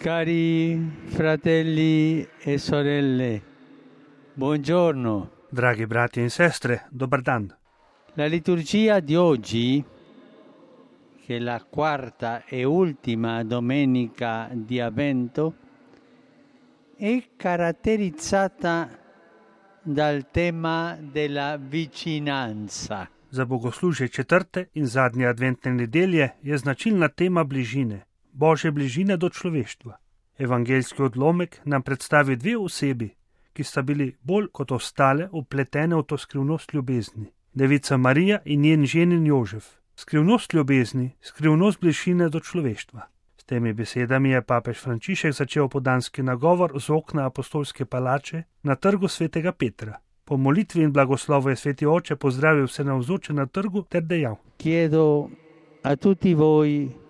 Cari fratelli e sorelle, buongiorno. Dragi brati in sestre, dobar dan. La liturgia di oggi, che è la quarta e ultima domenica di Avvento, è caratterizzata dal tema della vicinanza. Za bogoslužje četrte in zadnje adventne nedelje je značilna tema bližine, Božje bližine do človeštva. Evangeljski odlomek nam predstavi dve osebi, ki sta bili bolj kot ostale upletene v to skrivnost ljubezni. Devica Marija in njen ženin Jožef. Skrivnost ljubezni, skrivnost bližine do človeštva. S temi besedami je papež Frančišek začel opoldanski nagovor z okna apostolske palače na trgu svetega Petra. Po molitvi in blagoslovu je sveti oče pozdravil vse navzoče na trgu ter dejal: Chiedo a tutti voi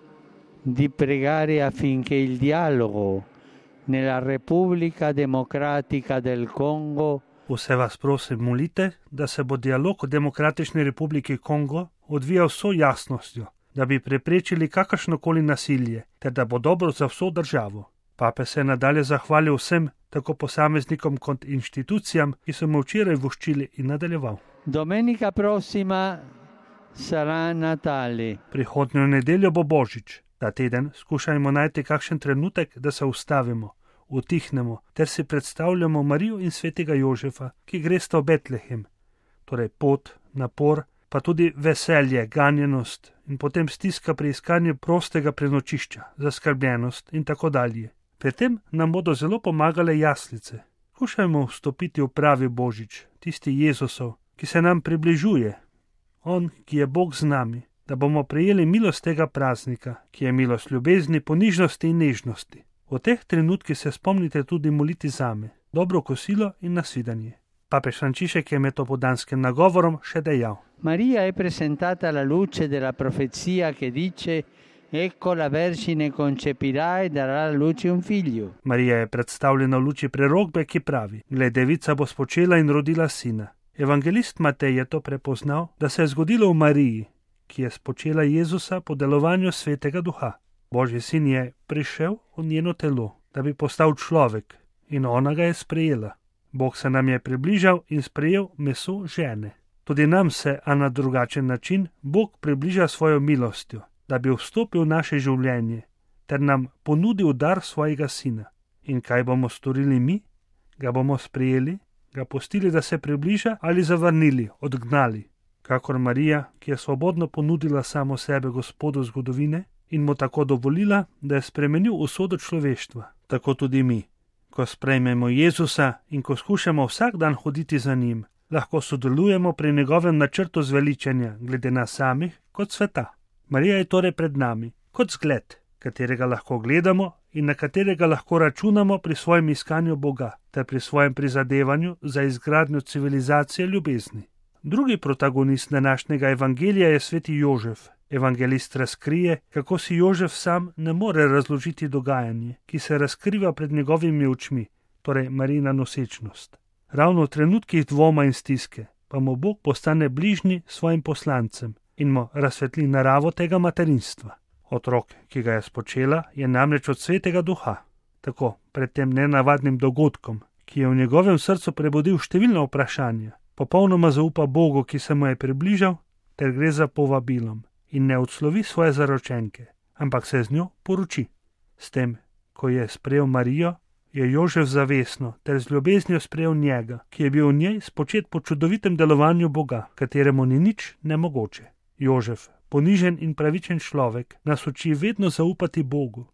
di pregare affinché il dialogo nella Repubblica Democratica del Congo Vse vas prosim molite, da se bo dialog v Demokratični republiki Kongo odvijal s vso jasnostjo, da bi preprečili kakršnokoli nasilje ter da bo dobro za vso državo. Pape se je nadalje zahvalil vsem, tako posameznikom kot inštitucijam, ki so mu včeraj voščili, in nadaljeval. Domenica prossima sarà Natale. Prihodnjo nedeljo bo Božič. Ta teden skušajmo najti kakšen trenutek, da se ustavimo, utihnemo ter si predstavljamo Marijo in svetega Jožefa, ki gresta v Betlehem. Torej pot, napor, pa tudi veselje, ganjenost in potem stiska pri iskanju prostega prenočišča, zaskrbljenost in tako dalje. Pri tem nam bodo zelo pomagale jaslice. Skušajmo vstopiti v pravi Božič, tisti Jezusov, ki se nam približuje. On, ki je Bog z nami, da bomo prejeli milost tega praznika, ki je milost ljubezni, ponižnosti in nežnosti. V teh trenutkih se spomnite tudi moliti zame, dobro kosilo in nasvidenje. Papež Frančišek je med opoldanskim nagovorom še dejal: Maria è presentata alla luce della profezia che dice: Ecco la Vergine concepirà e darà alla luce un figlio. Marija je predstavljena v luči prerokbe, ki pravi: Glej, devica bo spočela in rodila sina. Evangelist Matej je to prepoznal, da se je zgodilo v Mariji, ki je spočela Jezusa po delovanju svetega duha. Božji sin je prišel v njeno telo, da bi postal človek, in ona ga je sprejela. Bog se nam je približal in sprejel meso žene. Tudi nam se, a na drugačen način, Bog približa svojo milostjo, da bi vstopil v naše življenje, ter nam ponudil dar svojega sina. In kaj bomo storili mi? Ga bomo sprejeli, ga pustili, da se približa, ali zavrnili, odgnali? Kakor Marija, ki je svobodno ponudila samo sebe Gospodu zgodovine in mu tako dovolila, da je spremenil usodo človeštva, tako tudi mi. Ko sprejmemo Jezusa in ko skušamo vsak dan hoditi za njim, lahko sodelujemo pri njegovem načrtu zveličanja glede nas samih kot sveta. Marija je torej pred nami kot zgled, katerega lahko gledamo in na katerega lahko računamo pri svojem iskanju Boga ter pri svojem prizadevanju za izgradnjo civilizacije ljubezni. Drugi protagonist današnjega evangelija je sveti Jožef. Evangelist razkrije, kako si Jožef sam ne more razložiti dogajanje, ki se razkriva pred njegovimi očmi, torej Marijina nosečnost. Ravno v trenutkih dvoma in stiske pa mu Bog postane bližnji svojim poslancem in mu razsvetli naravo tega materinstva. Otrok, ki ga je spočela, je namreč od svetega duha. Tako pred tem nenavadnim dogodkom, ki je v njegovem srcu prebudil številna vprašanja, popolnoma zaupa Bogu, ki se mu je približal, ter gre za povabilom in ne odslovi svoje zaročenke, ampak se z njo poroči. S tem, ko je sprejel Marijo, je Jožef zavestno ter z ljubeznijo sprejel njega, ki je bil v njej spočet po čudovitem delovanju Boga, kateremu ni nič nemogoče. Jožef, ponižen in pravičen človek, nas uči vedno zaupati Bogu,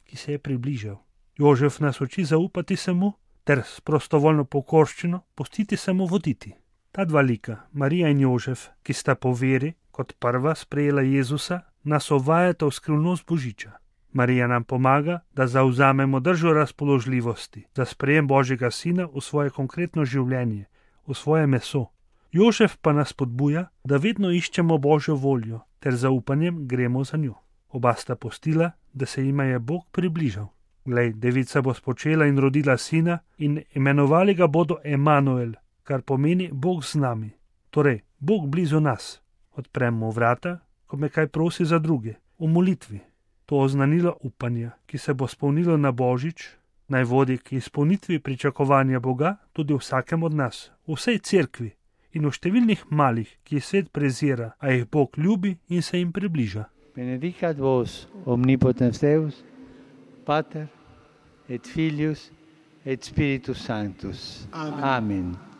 ki se je približal. Jožef nas uči zaupati se mu ter s prostovoljno pokorščino pustiti se mu voditi. Ta dva lika, Marija in Jožef, ki sta po veri kot prva sprejela Jezusa, nas uvajata v skrivnost Božiča. Marija nam pomaga, da zavzamemo držo razpoložljivosti za sprejem Božjega sina v svoje konkretno življenje, v svoje meso. Jožef pa nas podbuja, da vedno iščemo Božjo voljo ter zaupanjem gremo za njo. Oba sta pustila, da se jima je Bog približal. Glej, devica bo spočela in rodila sina in imenovali ga bodo Emanuel, kar pomeni Bog z nami. Torej, Bog blizu nas. Odpremo vrata, ko me kaj prosi za druge, v molitvi. To oznanilo upanja, ki se bo spolnilo na Božič, naj vodi k izpolnitvi pričakovanja Boga tudi v vsakem od nas, v vsej cerkvi in v številnih malih, ki jih svet prezira, a jih Bog ljubi in se jim približa. Benedicat vos omnipotens Deus, Pater et Filius et Spiritus Sanctus. Amen.